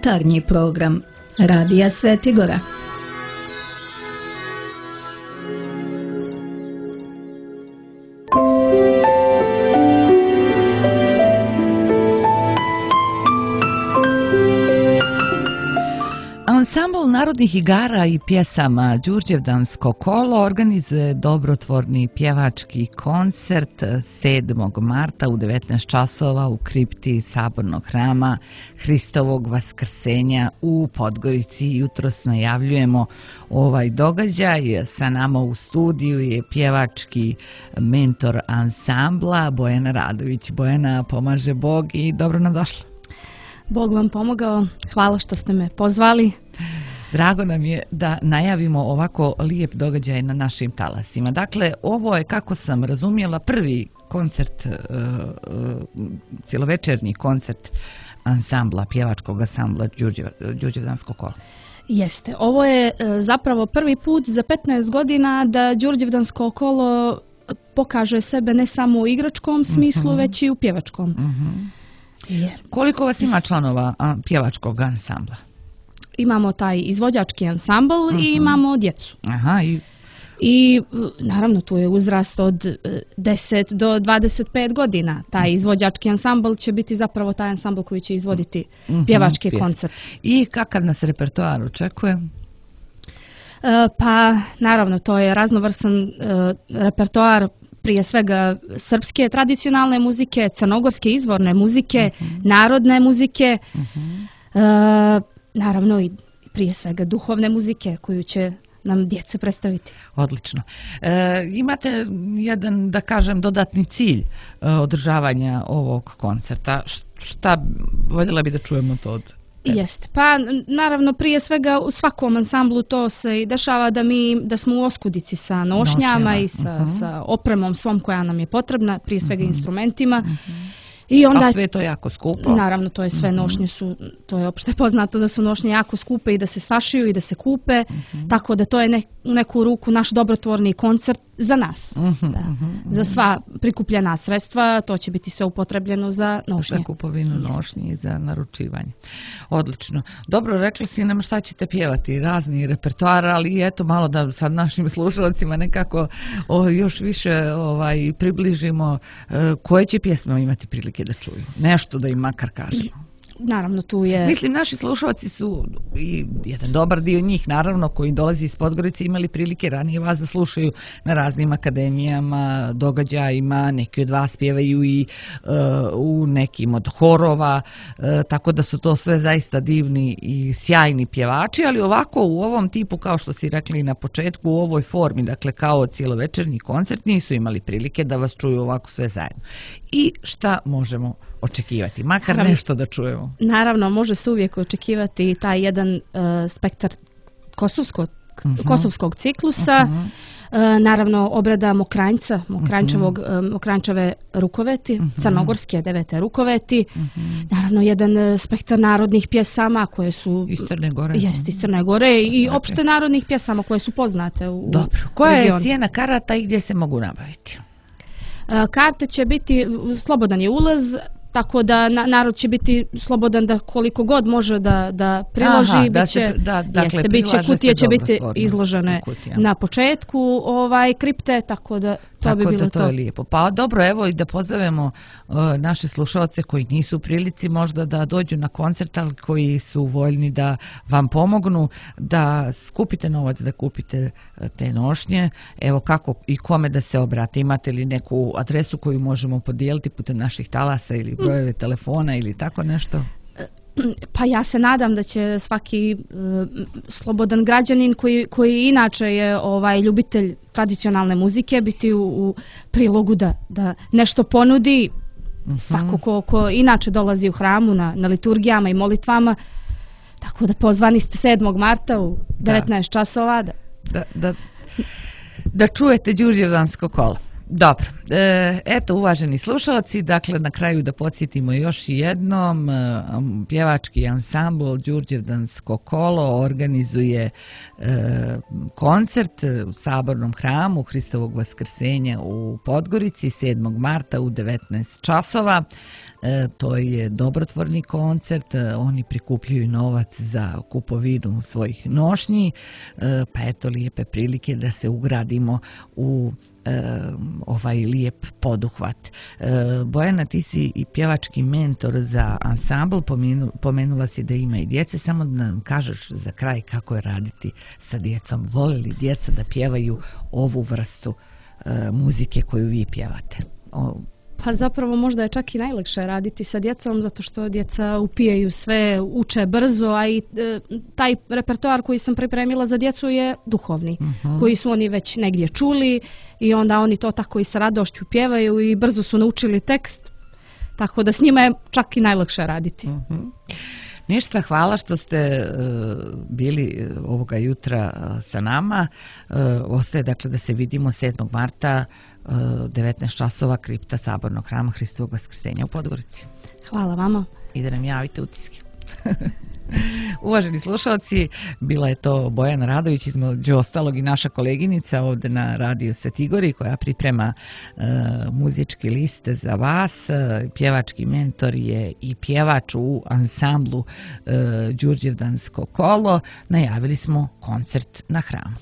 jutarnji program Radija Svetigora. Ansambl narodnih igara i pjesama Đurđevdansko kolo organizuje dobrotvorni pjevački koncert 7. marta u 19 časova u kripti Sabornog hrama Hristovog Vaskrsenja u Podgorici. Jutros najavljujemo ovaj događaj. Sa nama u studiju je pjevački mentor ansambla Bojana Radović. Bojana, pomaže Bog i dobro nam došla. Bog vam pomogao, hvala što ste me pozvali. Drago nam je da najavimo ovako lijep događaj na našim talasima. Dakle, ovo je, kako sam razumjela, prvi koncert, cjelovečernji koncert ansambla, pjevačkog ansambla Đurđevdansko kolo. Jeste, ovo je zapravo prvi put za 15 godina da Đurđevdansko kolo pokaže sebe ne samo u igračkom smislu, već i u pjevačkom. Koliko vas ima članova pjevačkog ansambla? Imamo taj izvođački ansambl i imamo djecu. I naravno tu je uzrast od 10 do 25 godina. Taj izvođački ansambl će biti zapravo taj ansambl koji će izvoditi pjevački koncert. I kakav nas repertoar očekuje? Pa naravno to je raznovrsan repertoar, prije svega srpske tradicionalne muzike, crnogorske izvorne muzike, narodne muzike, naravno i prije svega duhovne muzike koju će nam djeca predstaviti. Odlično. Imate jedan, da kažem, dodatni cilj održavanja ovog koncerta. Šta voljela bi da čujemo to od tebe? Jeste. Pa naravno prije svega u svakom ansamblu to se i dešava da smo u oskudici sa nošnjama i sa opremom svom koja nam je potrebna, prije svega instrumentima. I onda, a sve to je jako skupo. Naravno, to je sve nošnje su, to je opšte poznato da su nošnje jako skupe i da se sašiju i da se kupe, tako da to je u neku ruku naš dobrotvorni koncert za nas. Za sva prikupljena sredstva, to će biti sve upotrebljeno za nošnje. Za kupovinu nošnje i za naručivanje. Odlično. Dobro, rekli si nam šta ćete pjevati, razni repertoar, ali eto malo da sad našim slušalcima nekako još više približimo koje će pjesme imati prilike da čuju. Nešto da im makar kažemo. Naravno, tu je... Mislim, naši slušalci su, i jedan dobar dio njih, naravno, koji dolazi iz Podgorice, imali prilike ranije vas da slušaju na raznim akademijama, događajima, neki od vas pjevaju i u nekim od horova, tako da su to sve zaista divni i sjajni pjevači, ali ovako u ovom tipu, kao što si rekli na početku, u ovoj formi, dakle kao cjelovečernji koncert, nisu imali prilike da vas čuju ovako sve zajedno. I šta možemo očekivati? Makar nešto da čujemo. Naravno, može se uvijek očekivati taj jedan spektar kosovskog ciklusa, naravno obrada Mokranjčeve rukoveti, crnogorske 9. rukoveti, naravno jedan spektar narodnih pjesama koje su iz Crne Gore. Jest, iz Crne Gore i opšte narodnih pjesama koje su poznate u regionu. Dobro, koja je cijena karata i gdje se mogu nabaviti? Karte će biti, slobodan je ulaz, tako da narod će biti slobodan da koliko god može da priloži. Kutije će biti izložene na početku kripte, tako da to bi bilo to. To je lijepo. Pa dobro, evo i da pozovemo naše slušalce koji nisu u prilici možda da dođu na koncert, ali koji su voljni da vam pomognu, da skupite novac, da kupite te nošnje. Evo kako i kome da se obrate. Imate li neku adresu koju možemo podijeliti putem naših talasa ili brojeve telefona ili tako nešto? Pa ja se nadam da će svaki slobodan građanin koji inače je ljubitelj tradicionalne muzike biti u prilogu da nešto ponudi. Svako ko inače dolazi u hramu na liturgijama i molitvama, tako da pozvani ste 7. marta u 19 časova. Da čujete Đurđevdansko kolo. Dobro, eto uvaženi slušalci, dakle na kraju da podsjetimo još jednom, pjevački ansambl Đurđevdansko kolo organizuje koncert u Sabornom hramu Hristovog vaskrsenja u Podgorici 7. marta u 19 časova. To je dobrotvorni koncert, oni prikupljaju novac za kupovinu svojih nošnji, pa eto lijepe prilike da se ugradimo u ovaj lijep poduhvat. Bojana, ti si i pjevački mentor za ansambl, pomenula si da ima i djece, samo da nam kažeš za kraj kako je raditi sa djecom. Vole li djeca da pjevaju ovu vrstu muzike koju vi pjevate? Pa zapravo možda je čak i najlakše raditi sa djecom zato što djeca upijaju sve, uče brzo, a i taj repertoar koji sam pripremila za djecu je duhovni, koji su oni već negdje čuli i onda oni to tako i sa radošću pjevaju i brzo su naučili tekst, tako da s njima je čak i najlakše raditi. Ništa, hvala što ste bili ovoga jutra sa nama. Ostaje dakle da se vidimo 7. marta 19 časova kripta Sabornog hrama Hristovog vaskrsenja u Podgorici. Hvala vama. I da nam javite utiske. Uvaženi slušalci, bila je to Bojana Radović, između ostalog i naša koleginica ovdje na Radio Svetigori koja priprema muzički liste za vas. Pjevački mentor je i pjevač u ansamblu Đurđevdansko kolo. Najavili smo koncert na hramu.